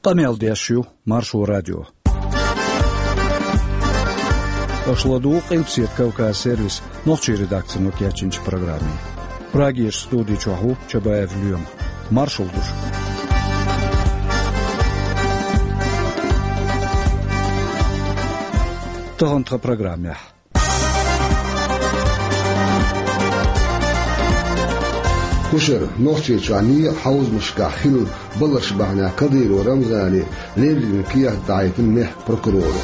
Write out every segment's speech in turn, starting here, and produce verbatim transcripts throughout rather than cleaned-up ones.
Къамел деш ю Маршо радио. Аша ладугӀу Къилбаседа Кавказ сервисан нохчийн редакцино кечйинчу программе. Прагерчу студи чохь ву Чабаев Лоьма. Маршалла ду шуьга. Тахана тхан программехь. Кхушара, Нохчийчохь некъан хьовзамашкахь хилла баларш бахьанехь Кадыров Рамзане леррина кехат дахьийтина мехкан прокуроро.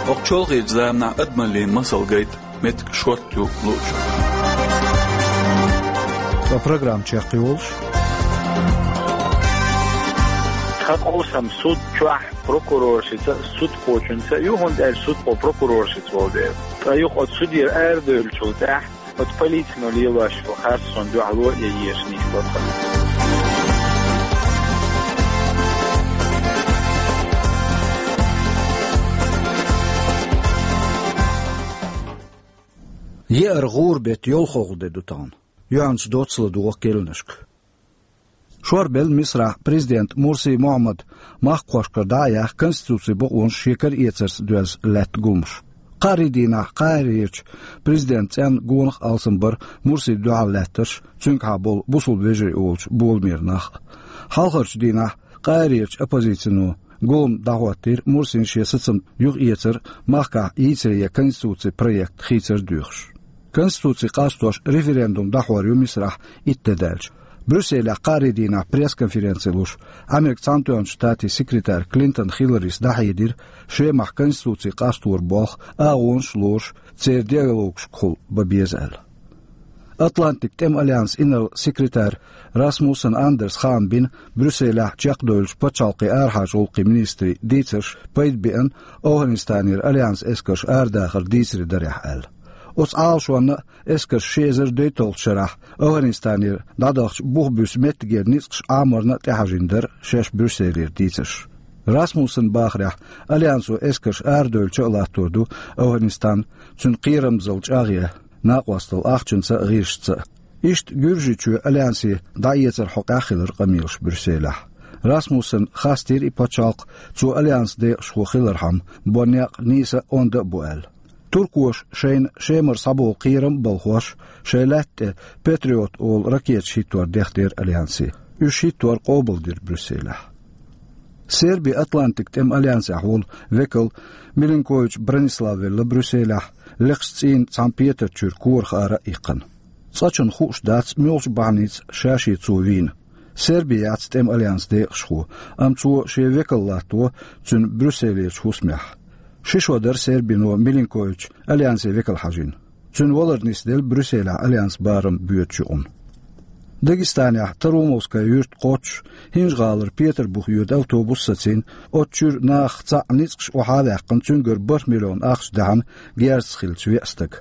ХӀокху чолхечу заманахь адамаллин масал гайта меттиг шортта ю луучунна. Ткъа программа чекхйолуш. Тхан къовсам суд чохь прокуроршца а, судхочуьнца а ю, хӀунда аьлча судхо прокуроршца волу дела. Ткъа юха оцу судера арадевллачул тӀаьхьа оцу полицино лелош йолу харц суна дуьхьало а ян езаш нисло тхан. Еара гӀура беттан йолхалгӀа де ду тахана. Юьхьанца доцца ладогӀа керланашка. Шорбелла Мисрахь президент Мурси Мухьаммад махкахошкара дӀа а яьхна, конституцин бакъонаш шен кара эцарца доьзна лаьтта гуламаш. Кхаарин дийнахь Каирерчу президентан цӀенна гонах а алсам бара Мурсина дуьхьал лаьттарш, цуьнгахьа болу бусалба вежарий олучу боламера нах а. Хьалхарчу дийнахь Каирерчу оппозицино гулам дӀахӀоттийра Мурсина шен сацам юхаэцар, махкахь йийцаре конституцин проект хийцар а доьхуш. Конституци къастош референдум дӀахьор ю Мисрахь итт де даьлча. Брюсселехь кхаарин дийнахь пресс-конференци луш, Америкин Цхьаьнатоьхначу Штатийн секретарь Клинтон Хилларис дӀахьедира, Шемахь конституци къастор болх агӀонаш а лоруш, церан диалогашкахула бан беза аьлла. Атлантикан тӀеман альянсан инарла-секретарь Расмуссен Андерс хаам бина Брюсселехь чекхдевллачу пачхьалкхийн арахьарчу гӀуллакхийн министрийн дийцарш пайда беана ОвхӀанистанера альянсан эскарш арадахар дийцаре дарехь аьлла. Оцу Ӏалашонна а эскарш ши эзар дейтталгӀачу шарахь ОвхӀанистанера дӀадахча бух буьсу меттигера ницкъаш Ӏаморна а тӀехьажийна дара шаьш Брюсселера дийцарш. Расмуссена бахарехь, альянсо эскарш арадевлча а латтор ду ОвхӀанистан, цуьнан кхерамзалла чӀагӀъян, накъосталла ахчанца а, гӀирсашца а. Иштта Гуьржийчоь альянсе дӀаэцаран хьокъехь хилира къамелаш Брюсселехь. Расмуссена хастийра и пачхьалкх, цо альянсан декъашхо хилархьама, бо некъ нийса а, онда а бу аьлла. Туркоша шайна Шемара схьаболу кхерам а балхош, шайн лаьтта тӀе Патриот олу ракеташ хӀиттор дехнера альянсе. Уьш хӀиттор къобалдира Брюсселехь. Сербин Атлантикан тӀеман альянсехь волу векал Милинкович Бранислав велла Брюсселехь, лекхачу цӀийнан цхьана петарчуьра корах ара а иккхина. Цкъачунна хууш дац, муьлхачу бахьаница ша-шен цо вийна. Серби яц тӀеман альянсан декъашхо, амма цо шен векал латто цуьнан Брюсселерчу хӀусамехь. Ши шо дара Сербино Милинкович альянсе векал хьажийна. Цуьнан валар нисделла Брюсселехь альянсан барам боьдучу юкъана. Дагестанехь Таромовская юьрта кхоччуш, ХӀинжа-ГӀалара Петарбух йоьду автобус сацийна, оцу чуьра нахах цхьаъ ницкъаш охьа а ваьккхина, цуьнгара бархӀ миллион ахча даьхьна герзаца хиллачу веа стага.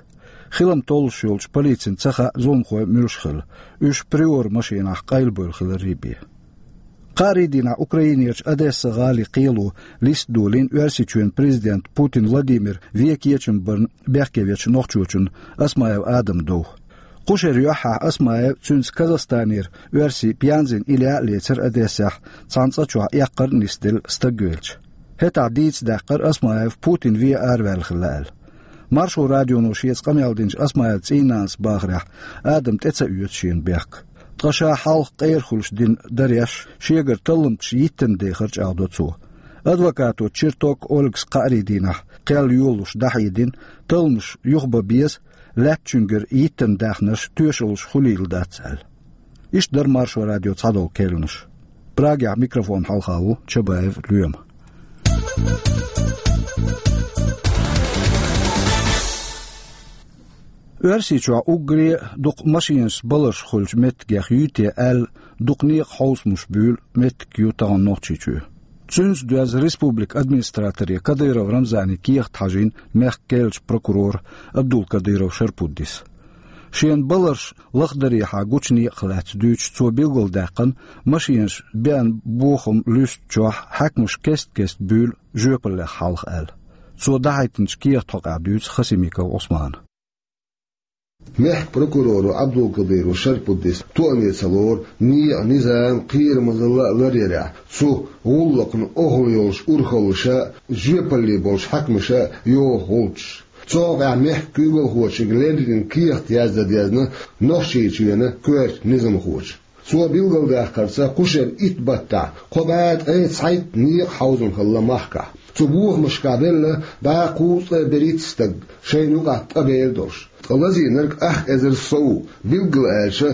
Хилам толлуш йолчу полицина ца хаьа, зуламхой муьлш хилла. Уьш Приора машенахь къайлабевлла хиларий бен. Кхаарин дийнахь Украинерчу Одесса-гӀалин кхело листа долийна Оьрсийчоьнан президента Путин Владимира вен кечам барна бехке вечу нохчочунна Осмаев Адама дов. Кху шеран юьххьехь Осмаев, цуьнца Казахстанера оьрси Пьянзин Илья а лецира Одессехь, цхьана цӀа чохь эккхар а нисделла стаг велча. ХӀетахь дийца даьккхира Осмаев Путин вен араваьлла хилла аьлла. Маршо радионо шеца къамел динчу Осмаевн цӀийнанас бахарехь, Адам тӀе ца оьцу шена бехк. Ткъа ша хьалха къера хуьлуш дина дареш, шегара талламташ йиттан дехар чӀагӀдо цо. Адвокато Черток Ольгас кхаарин дийнахь кхел йолалуш дӀахьедина, талламаш юхабан беза, лаьттачуьнгара йиттан даьхнарш тоьшаллаш хуьлийла дац аьлла. Иштта дара Маршо радион цхьадолу керланаш. Прагехь микрофон хьалха ву Чабаев Лоьма. Оьрсийчохь уггаре а дукха машинашца баларш хуьлучу меттигех юй те аьлла, дукха некъан хьовсамаш буьйлу меттиг ю тахана Нохчийчоь. Цуьнца доьзна республикан администраторе Кадыров Рамзане кехат хьажийна мехкан керлачу прокурора Абдулкадыров Шарпуддис. Шена баларш лахдарехьа гучу некъах лаьцна дуьйцуш, цо билгалдаьккхина, машинаш беана бохам луьстучохь хьаькамаш кест-кеста буьйлу жоьпаллех хьалха аьлла. Цо дахьийтинчу кехат хьокъехь дуьйцу Хасимиков Ӏусмана. Мехкан прокуроро Ӏабдулкадыров Шарпуддис тоъаме ца лору некъан низам, кхерамазалла а ларъярехь, цу гӀуллакхна охӀла йолуш урхаллаша а, жоьпалле болчу хьаькамаша а йоху гӀулчаш. Цу хьокъехь мехкан куьйгалхочуьнга леррина кехат яздан дезна Нохчийчоьнан коьртачу низамхочо. Цо билгалдаккхарца, кху шеран итт баттахь кхо бӀе ткъе цхьайтта некъан хьовзам хилла махкахь. Цу бохамашкахь велла бӀе кхузткъе берхӀитта стаг, шайна юкъахь ткъа бер долуш. Ткъа лазийнарг ах эзар сов, билггал аьлча,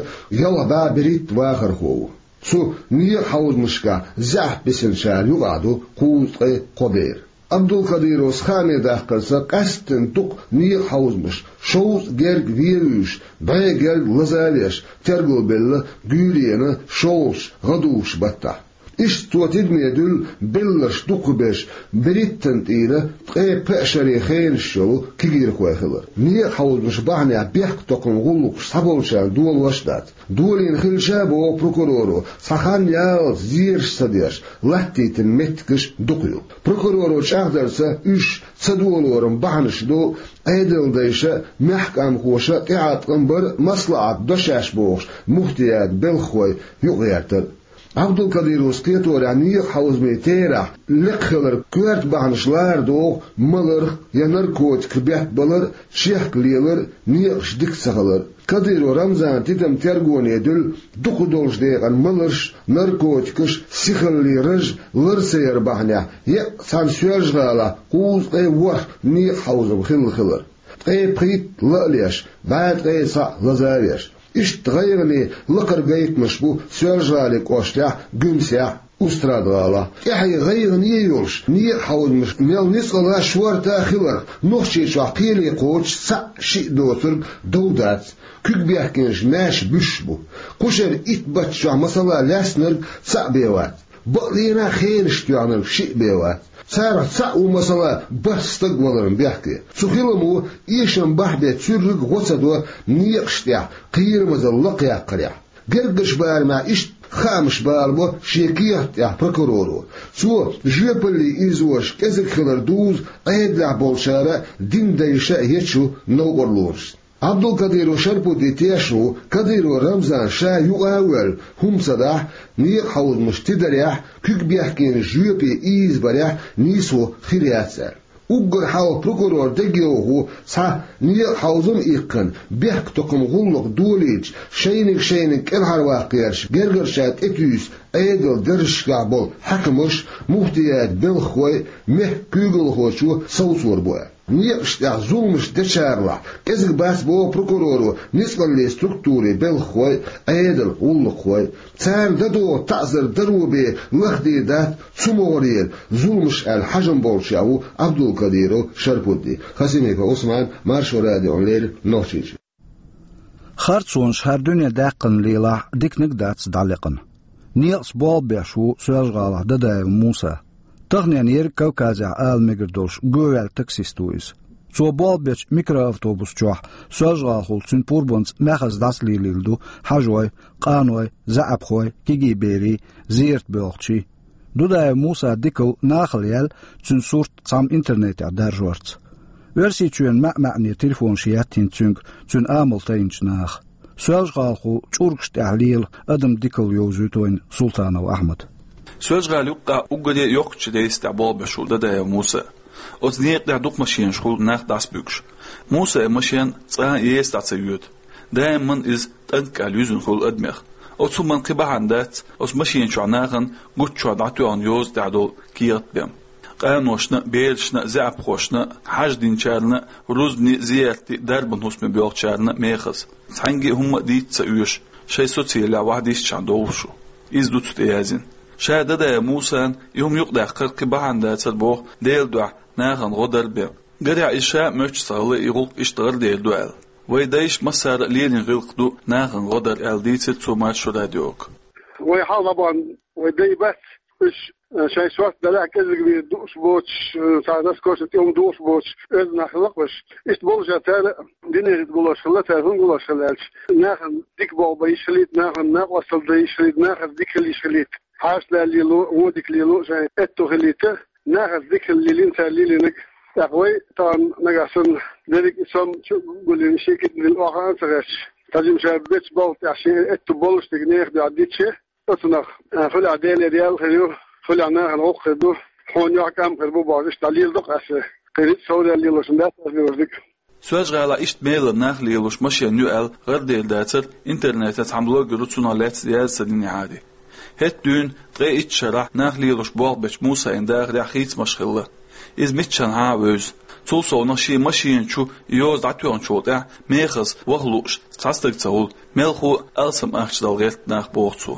ялх бӀе берхӀитта вахархо ву. Цу некъан хьовзамашкахь заьӀап бисинчарна юкъахь ду кхузткъе кхо бер. Ӏабдулкадыровс хааме даккхарца, къаьсттина дукха некъан хьовзамаш, шовзткъа герга вен а вуьйш, бӀе герга лаза а веш, тергал белла Гуьйренан шолгӀачу, гӀадужучу баттахь. Иштта цо тидаме дуьллу белларш дукхахберш, берхӀиттанна тӀера ткъе пхеа шаре хенаш йолу кегийрхой хилар. Некъан хьовзамаш бахьанехь бехктакхаман гӀуллакхаш цхьаболчарна долош а дац. Долийна хилча а, боху прокуроро, цхьа хан ялалц зераш ца деш, латтийтина меттигаш дукха ю. Прокуроро чӀагӀдарца, уьш ца долоран бахьанаш ду Ӏедалдайша а, маьхкамхоша а тӀеӀаткъам бар а, маслаӀат до шаьш бохуш, муфтиятан белхахой юкъагӀертар а. Ӏабдулкадыровс кхеторехь, некъан хьовзамийн терахь лекха хиларг коьрта бахьанаш лара догӀу маларх я наркотиках беттабалар а, чехка лелар а, некъаш дика ца хилар а. Кадыров Рамзанан тидам тергоне дуьллу дукхах долчу декъана маларш, наркотикаш, сихаллин раж лар ца яр бахьанехь, еккъа цхьана Соьлжа-ГӀалахь кхузткъе ворхӀ некъан хьовзам хилла хилар. Ткъе пхийтта ла а леш, бӀе ткъе цхьаъ лаза а веш. Иштта гӀайгӀане лакхара гайтамаш бу Соьлжа-ГӀалин кӀоштахь, Гуьмсехь, Устрада-ГӀалахь. ТӀаьхье гӀайгӀане а йолуш, некъан хьовзамаш мел ницкъала а, шорта а хиларх, Нохчийчохь кхеле кхочуш цхьаъ-шиъ доцург дов дац, куьг бехкенаш маьрша буьсуш бу. Кху шеран итт батта чохь, масала, лаьцнарг цхьаъ бен вац. Бакъдерг а, хенаш тоьхнарг шиъ бен вац. Царах цхьаъ ву, масала, бархӀ стаг валарна бехке. Цу хиламо эшам бахьа бен цуьрриг гӀо ца до некъаш тӀехь кхерамазалла лакхъяккхарехь. Гергарчу барамехь иштта хаамаш балабо шен кехат тӀехь прокуроро. Цо жоьпаллин изош кӀезиг хилар дузу Ӏедалехь болчара а, динан дайша а ечу новкъарлонашца. Ӏабдулкадыров Шарпудди тешна ву, Кадыров Рамзан ша юкъа а воьлла, хӀума ца дахь, некъан хьовзамаш тидарехь, куьг бехкенаш жоьпе ийзабарехь нийсо хир яц аьлла. Уггар хьалха прокурор дегайовхо, цхьа некъан хьовзам а иккхина, бехктакхаман гӀуллакх долийча, шайниг-шайниг кӀелхьарваккха гӀерташ, гергарчарна тӀетуьйсу Ӏедалан даржашкахь болу хьаькамаш, муфтиятан белхахой, мехкан куьйгалхочо совцор бу аьлла. Некъаш тӀехь зуламаш дечаралахь, кӀезиг бац, боху прокуроро, ницкъаллин структурийн белхахой, Ӏедалан гӀуллакххой. Царна дан догӀу таӀзар даро бен лахдийр дац цу могӀарера зуламаш аьлла хьажам болчех ву Ӏабдулкадыров Шарпудди. Хасимиков Ӏусман, Маршо радиона леррина, Нохчийчоь. Харцонаш хӀара дуьне даьккхина лелахь, диканиг а дац дӀалекъна. Некъаца болх беш ву Соьлжа-ГӀалахь Дадаев Муса. Таханенна ерриг Кавказехь ала мегар долуш гӀовгӀаьлла таксист ву иза. Цо болх бечу микроавтобус чохь соьлжагӀалхула цуьнан пурбанца маьхаза дӀасалелийла ду хьажой, къаной, заьӀапхой, кегий берий, зерат боьлхучий. Дудаев Мусан дикалла нахала яьлла, цуьнан сурт цхьамма интернетехь даржорца. Оьрсийчоьнан маьӀ-маьӀне телефонаш етта хӀинца цуьнга цуьнан амал тайначу наха. Соьлжа-ГӀалахула чӀургаш тӀехь лела адаман дикалла йовзуьйту вайна Султанов Ахьмада. Соьлжа-ГӀала юккъехь уггаре а йоккхачу рейса тӀехь болх беш ву Дадаев Муса. Оцу некъа тӀехь дукха машенаш хуьлу нах дӀасабуьгуш. Мусайн машен цкъа а еса дӀа ца йоьду. Даиман иза тӀанкъ аьлла юьзна хуьлу адамех. Оцу хӀуманна кхин бахьана дац оцу машен чохь нахана гуччохь дӀатоьхна йоза тӀехь долу кехат бен. Къаношна а, берашна а, заьӀапхошна а, хьаж динчарна а, рузбане а, зиярте а, дарбан хӀусаме боьлхучарна а мехаза. Цхьаьнгге а хӀумма а дийца ца оьшу, шайн социлехь вахьа дисчахь довлуш ву. Иза ду цу тӀе яздина. Ша Дадаев Мусана и хӀума юкъадаьккхар кхин бахьана дацара боху, Делан дуьхьа нахана гӀо дар бен. Гарехь, иза ша а моьттуш ца хилла и гӀуллакх иштта гӀарделла ду аьлла. Вайн дайша массара а лелийна гӀиллакх ду нахана гӀо дар аьлла, дийцира цо Маршо радиога. Вай хьалха дӀабахана вайн дай бац, уьш, э, шайн сорта далахь кӀезиг вер дууш боцуш, э, цхьа наскоча тӀе хӀума дууш боцуш оьзда нах хилла-кх уьш. Иштта болуш а цара динехь болуш хилла, цара хӀунда гулуш хилла аьлча, нахана дика болх бан йиш хилийта, нахана накъосталла дан йиш хилийта, нахаца дика хила йиш хилийта. Хьашталла лело, вон дика лело, шайн аьтто хилийта, нахаца дика хила лелийна цара лелийнарг. ТӀаккха вай тахана нагахь санна дерриг а сом чу а гулйина, ши кидаделла охьа а ца гӀерташ, тхьажимаш бечу балха тӀехь шен этта болуш дерг нехан дуьхьа дича, оцунах, а, хуьлехь Делера ял хир ю, хуьлехь нахана гӀуллакх хир ду, хьуна юьхь кӀам хир бу бохуш, иштта дӀалеладо-кх аса. Кхин а совдала лелош дац аса лелош дика. Соьлжа-ГӀалахь иштта Белара нах лелош машен ю аьлла гӀарадер дацара интернетан цхьана блогеро цунах лаьцна яьзна ца динехьара. ХӀетахь дуьйна ткъе итт шарахь нах лелош болх бечу Мусайна дахарехь хийцамаш хилла. Иза миччанхьа а вевза. Цул совнаха шен машена чу и йоза дӀатоьхначул тӀаьхьа мехаза ваха лууш цхьа стаг ца хуьлу, мелхо а алсам ахча дала гӀерта нах, боху цо.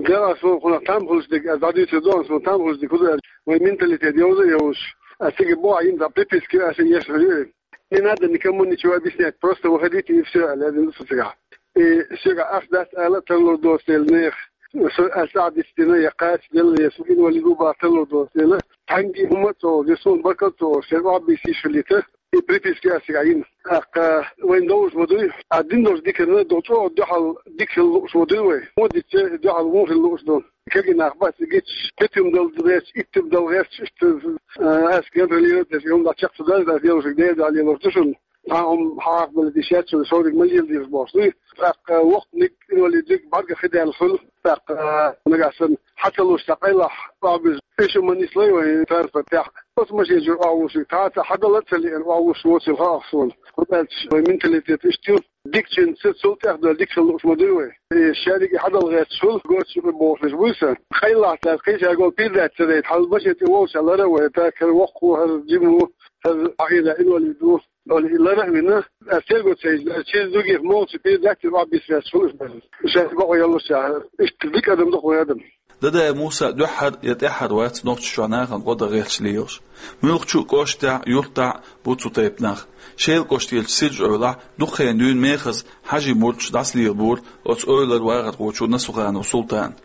Делахь суна кхунах там хуьлуш дерг, аса дӀадуьйцур ду суна там хуьлуш дерг хӀун ду аьлча, вайн менталитет йовза а йовзуш, аса цига боху йина цхьа приписка ю, аса еш хир ю. Не надо никому ничего объяснять, просто выходите и всё, аьлла, аьлла ду со цигахь. И соьгахь ахча дац ала а тарлур доцу дела, нехан, со аса дицдина, я кхача делла, я со инвалид ву бахар тарлур доцу дела, цхьаьнгге а хӀума а ца олуш, я суна баркалла а ца олуш, шайн охьабийса йиш хилийта, и приписка ю аса цигахь йина. ТӀаккха вайна довзуш ма дуй, а дина долчу диканна ду чӀогӀа дуьхьал дика хила лууш ма дуй вай. ХӀун дича дуьхьал вон хила лууш ду. Кегий нах бац и гича, кхетам дала гӀерташ, иттам дала гӀерташ, иштта, а, аса контролировать деш, и хӀума дӀа чекх ца даьлча, аса лелошерг Делан дуьхьа лелош ду шуна. Цхьа хӀума хьахабалийта йиш яц шуна, шориг ма леладелаш бохуш дуй. ТӀаккха воккханиг, инвалидниг бӀаьргах хи даьлла хуьлу. ТӀаккха, а, нагахь санна хьа ца луш цхьа къайлах охьабуьзу, эшо ма нислой вайн транспортехь. Оцу машен чуьра охьавуссург, цхьацца хьадала а ца лиъна, охьавуссуш воцийла хаьа суна. ХӀунда аьлча вайн менталитет иштта ю. Дикачуьнца цул тӀехдевлла дика хила лууш ма дуй вай. И шадерг и хьадала гӀерташ хуьлу, гоча юкъа бохуш бу сан. Къайлах цара кхин шаьш гол передача ца дайта, хьал машен тӀе волуш лара а вай, тӀаккха хӀара воккха ву, хӀара жима ву, хӀара ахьа инвалид ву. Ола и лара а вина, аса терго ца йича, через других молча передача охьабисса ваьлла хуьлуш бара. Шаьш бакъо яллушехь, иштта дика адам ду-кх вайн адам. Дадаев Муса дуьххьара я тӀаьххьара вац Нохчийчохь нахана гӀо дан гӀерташ лелаш. Муьлххачу а кӀоштехь а, юьртахь а бу цу тайпа нах. Шелан кӀоштарчу Сиржа-Эвлахь дукха хенахь дуьйна мехаза хьажийн мурдаш дӀасалелабора оцу эвлара вахархочо Насуханов Султана.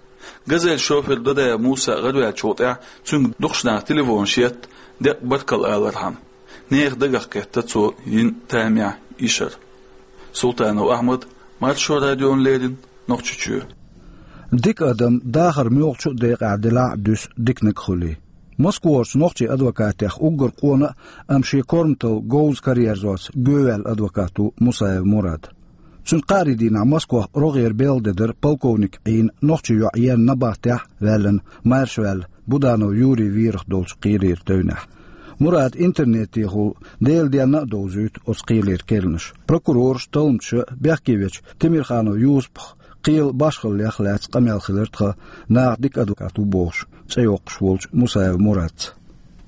Газель шофер Дадаев Муса гӀараваьллачул тӀаьхьа цуьнга дукхачу наха телефонаш етта, деккъа баркалла алархьама. Нехан дагах кхетта цо йина тамехь йишар. Султанов Ахьмад, Маршо радиона леррина, Нохчийчоь. Дика адам дахар муьлххачу а декъехь делахь а дуьсу диканиг хуьлий. Москварчу нохчийн адвокатех уггар къона а, амма шен корматалла говза караерзош гоьваьлла адвокат ву Мусаев Мурад. Цуьнан кхаарин дийнахь Москвахь рогӀера белла де дара полковник Ӏийна нохчийн йоӀ Ен набахтехь а ваьллина, маьрша ваьлла Буданов Юрий вийрах долчу кхелера тевнехь. Мурада интернетехула Делан денна а довзуьйту оцу кхелера керланаш. Прокурораш а, талламчаш а, бехке вечу Темирханов Юсупах кхелан башхаллех а лаьцна къамел хилира тхан, наха дика адвокат ву бохуш, цӀе йоккхуш волчу Мусаев Мурадца.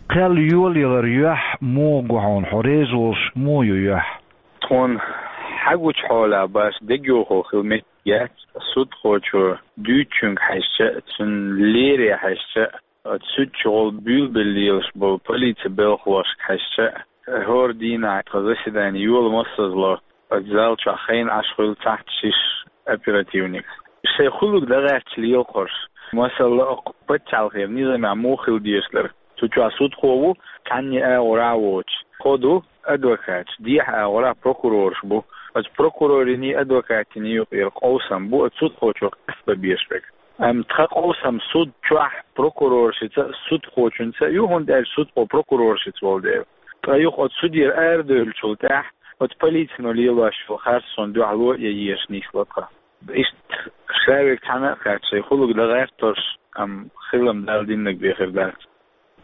Кхел йолаялар юьхь муха гу хьуна, хьо реза волуш муха ю юьхь? Тхуна хьагучу хьолехь баш дегайовхо хила меттиг яц, судхочо дуьйцучуьнга хьаьжча а, цуьнан лере хьаьжча а, оцу суьдчу гӀолла буьйлабелла лелаш болу полицин белхалошка хьаьжча а, хӀора дийнахь тхан заседани йола массазло оцу зал чохь хайна Ӏаш хуьлу цхьацца шиш оперативникаш. Шайн хуьлург дан гӀерташ лела кхуьруш. Масала, окху пачхьалкхера низамехь муха хила дезаш дара. Цу чохь судхо ву, цхьанне агӀор а воцуш. Кхо ду адвокаташ, дехьа агӀор а прокурораш бу. Оцу прокурорийн, адвокатийн юкъера къовсам бу оцу судхочо къастабан безаш берг. Амма тхан къовсам суд чохь прокуроршца а, судхочуьнца а ю, хӀунда аьлча судхо прокуроршца волу дела. Ткъа юха оцу судера арадевллачул тӀаьхьа оцу полицино лелош йолу харц суна дуьхьало а ян езаш нисло тхан. Иштта ша верг цхьаьна а кхаьчча, шайн хуьлург дан гӀерташ, амма хилам Дала диннарг бен хир дац.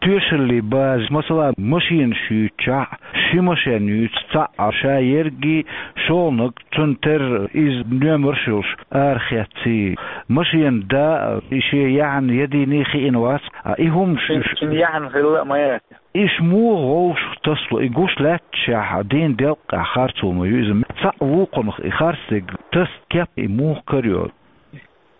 Тоьшаллин база, масала, машенаш юьйцучохь, ши машен юьйцу цхьаъ, ша ерриге, шолгӀаниг, цунна терра иза номерш йолуш арахецций. Машенан да а, и шен яьхьна я дийна хиъна вац, а и хӀумаш, цуьнан яьхьна хилла а ма яц. Иштта муха вовшах тасало, и гуш лаьтташехь, дийнан делкъехь харцо ма ю иза. Цхьаъ вукхунах и харцдерг тасса кеп, и муха карайо?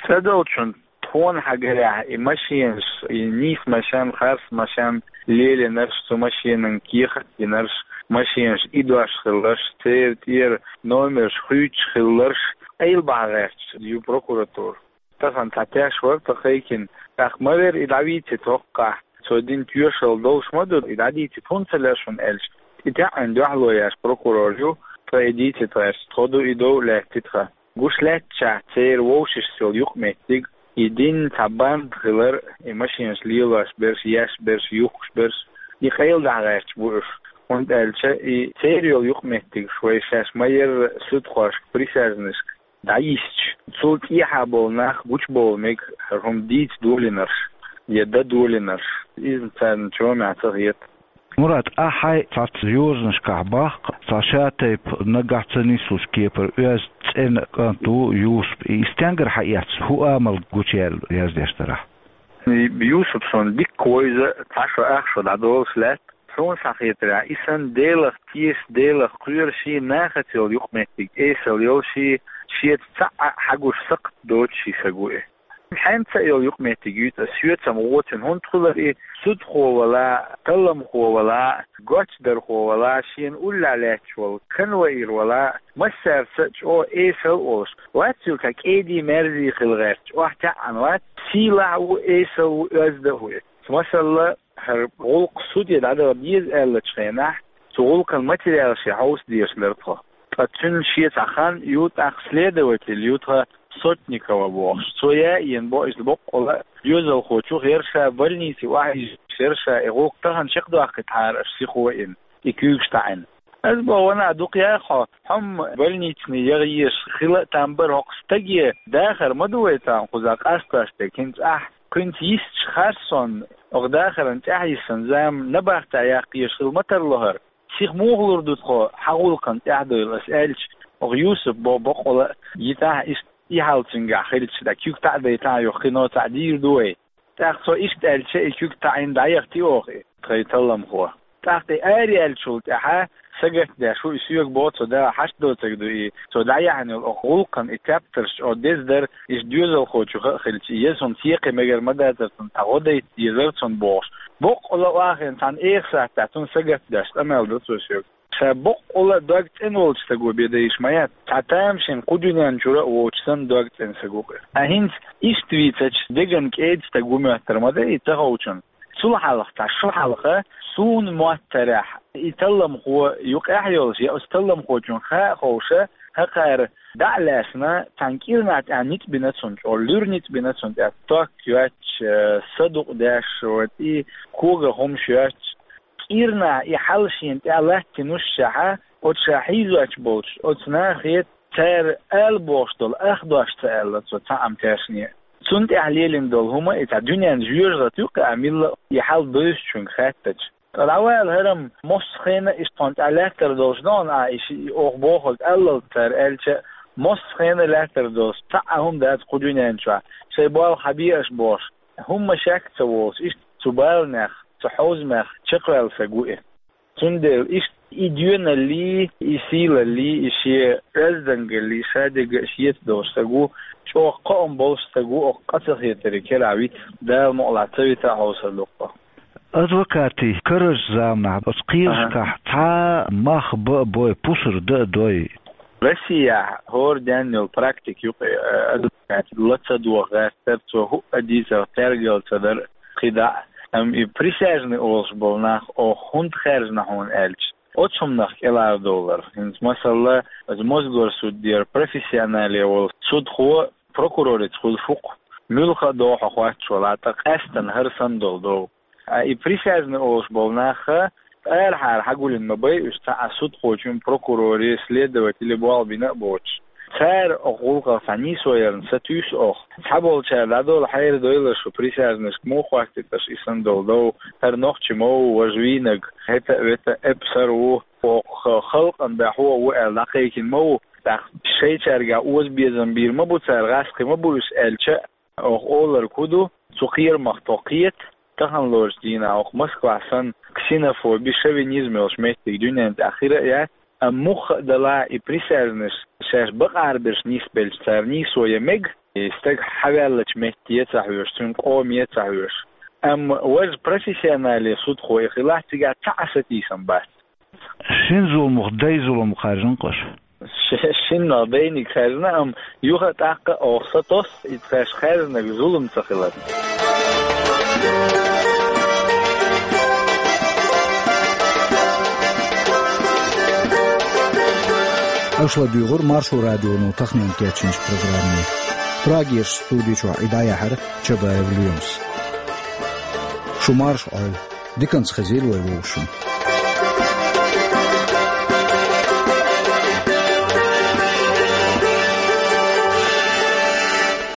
ЦӀа долчунна, тхуна хьагарехь, и машенаш, и нийса машен, харц машен лелийнарш, цу машенан кехат а динарш, машенаш идош хилларш, церан тӀера номерш хуьйцуш хилларш, къайла бахьа гӀерташ ю прокуратура. Тахана цхьа теш вара тхан кхайкхина, тӀаккха ма вера и дӀавийцийта хӀокхахь, цо дина тоьшалла долуш ма ду, и дӀадийцийта хӀунда ца лаьа шуна аьлча, и тӀаьхьа дуьхьало еш прокурор ю, ткъа и дийцийта гӀерташ, тхо ду и дов а лаьттий тхан. Гуш лаьтташехь, церан вовшашца йолу юкъаметтиг, и динан цхьа банда хилар, и машенаш лелош берш, еш берш, юхкуш берш, и къайла дахьа гӀерташ бу уьш. ХӀунда аьлча и церан йолу юкъаметтигаш вай шаьш ма-ярра судхошка, присяжнашка дӀайисча, цул тӀехьа болу нах гучубовла мега хӀара хӀума дийца долийнарш я дан долийнарш. Иза царна чомехь ца хета. Мурад, ахь хьайн цхьацца йозанашкахь боху, цхьа шатайпа нагахь ца нислуш кепара оьзда цӀена кӀант ву Юсуп. И стенгара хьаэцна, хӀун амал гучуяьлла яздеш дара ахь? И Юсуп суна дикка вевза, цхьа шо ах шо дӀадолуш лаьтта. Суна схьахетарехь, и санна Делах теша, Делах кхоьруш, нахаца йолу юкъаметтиг эсала йолуш, шеца цхьаъ а хьагуш сакхт доцуш стаг ву и. ХӀинца а йолу юкъаметтиг ю цкъа, соьцам гӀо цуьнан, хӀунда хилар и судхо вала, талламхо вала, гочдархо вала, шена уллехь лаьтташ волу конвоир вала, массаьрца а чӀогӀа эсала а волуш. Вац цуьнан цхьа кӀеда-мерза хила гӀерташ, охьатаьӀна вац, сийлахь а ву, эсала а ву, оьзда а ву и. Масала, хӀара гӀуллакх суде дӀадала деза аьллачу хенахь, цу гӀуллакхан материалаш хьовса дезаш дара тхо. Ткъа цуьнан шен цхьа хан ю, тӀаккха следователь ю тхан Сотникова бохуш. Цо яийна бо иза боккъала а, доьзалхочух яра ша, больнице охьаийзаш яра ша, и гӀуллакх тахана чекхдоккхуьйтура аша, сихо а йина, и куьйгаш таӀийна. Аса боху, ванах, дукха яхьа хьо, хьо-м больницина яха езаш хила а там бара, хӀокху стаге дахар ма ду вай тахана кхузахь къастош дерг, хӀинца ахь кхуьнца йисташ харцонна, оха дахаран тӀаьхьа йисина зама набахтехь яккха езаш хила ма тарло хӀара. Сиха муха лур ду тхо хьан гӀуллакхана тӀаьхьадовла, ас аьлча, оха Юсуп бо боккъала а йитахь, иштта и хьал цуьнгахь хилча, дӀа куьг таӀадайтахь, юха кхин цхьаъ дийр ду вай. ТӀаккха цо иштта аьлча, и куьг таӀийна дӀаяхийтира оха и тхайн талламхо. ТӀаккха и араяьллачул тӀаьхьа сагатдеш ву, и соьга боху цо, да, хьашт доцург ду и, цо дӀаяьхьна йолу оха гӀуллакхана и тептарш чӀогӀа деза дара, иштта доьзалхочух а хилча, и еза хӀума цекхе мегар ма дацара цунна, цхьа гӀо дайта дезара цунна бохуш. Боккъала а вахийна цхьана эха сахьтехь цунна сагатдеш къамел до цо соьга. Ша боккъала а дог цӀена волчу стага бен дайша ма яц. Цхьа тамашийна кху дуьнен чуьра а воцуш санна дог цӀена стаг ву-кх и. Ткъа хӀинца иштта вийцича, деган кӀеда стаг ву моьттур ма дай и ца ховчунна. Цул хьалха, цхьа шо хьалха, суна моьттарехь, и талламхо юкъехь йолуш, я оцу талламхочунна хаа а ховша, хӀокхара дӀа а лаьцна, цхьана кӀирнахь тӀехь ницкъ бина цунна, чӀогӀа луьра ницкъ бина цунна тӀехь, ток йоьттуш, э, са дукъ деш, вот, и коган хӀумаш йоьттуш, кӀирнахь и хьал шена тӀехь латтийнушшехь, оцу ша хьийзош болчу оцу нахе, цара ала бохуш долу ах дош ца аьлла цо цхьа а ма тешне. Цунна тӀехь лелийна долу хӀума и цхьа дуьненан жоьжахати ю-кх и, а милла а и хьал бевзачуьнга хаьттича. Ткъа дӀавала хӀара-м, массо а хенахь иштта тхуна тӀехь лаьттар долуш ду хьуна ахь, и ши-, и оха бохург аллалц цара аьлча, массо а хенахь лаьттар долуш цхьа а хӀума дац кху дуьнен чохь, шайн болх хьабе аша бохуш. ХӀумма шек а ца волуш, иштта цу баланех, цу хьовзамех чекхваьлла стаг ву и. Цундела иштта и доьналлий, и сийлаллий, и шен оьздангаллий, шадерг а шеца долуш стаг ву, чӀогӀа кхоам болуш стаг ву, оха къа ца хетарийн керахь вита, Дала мукъалахь ца вита а хьовсур ду-кх. Адвокатийн карарчу заманахь оцу кхиерашкахь цхьа а мах бан а бой, пусар дан а дой. Россияхь хӀора денна йолу практика ю-кх и, э, адвокат ла ца доха гӀертар, цо хӀуъа дийцар тергалла ца дар кхидӀа а. Амма и присяжный олуш болу нах оха хӀунда хаьржина хьуна аьлча, оцу хӀуманах кӀелхьардовлар. ХӀинца, масала, оцу Мосгорсудера профессионале волу судхо прокурорица хуьлуш ву-кх, муьлхха а догӀу хьо хоттуш валахь, ткъа къаьстина хӀара санна долу дов. Ткъа и присяжный олуш болу нах арахьара хьагулйина ма бай уьш, цхьа а судхочун, прокурорий, следователий болх бина а боцуш. Цара оха гӀуллакхах цхьа нийсо ярна сатуьйсу оха. Цхьаболчара дӀадолу хьайра дойла шу, присяжнашка муха хоттуьйту аша и санна долу дов, хӀара нохчи ма ву, важа вийнарг, хӀета а, вета а эпсар ву, оха халкъан баьхьо а ву аьлла дӀакхайкхина ма ву, тӀаккха шайчаьргахь озабезам бийр ма бу цара, гӀаскхи ма бу уьш аьлча, оха олург хӀун ду, цу кхерамах тхо кхета, таханлерчу дийнахь оха Москвахь санна ксенофоби, шовинизм йолуш меттиг дуьнен тӀехь хир а яц, амма мухха а далахь и присяжнаш шаьш бакъахьара берш нисбелча цара нийсо ян мега, и стаг хьаваьллачу метте а ца хьоьжуш, цуьнан къоме а ца хьоьжуш. Амма важа профессионале судхо и хилахь, цигахь цхьа а сатийсам бац. Шина зуламах дай зулам хаьржина-кх аша? Ш-, шиннах дайниг хаьржина, амма юха а тӀаккха а оха сатосу иза тхаьш хаьржинарг зулам ца хилар. Аша ладуьйгӀура Маршо радионо таханлерниг кечйинчу программе. Прагерчу студи чохь и дӀаяьхьира Чабаев Лоьмас. Шу марша Ӏойла, диканца хезийла вай вовшашна.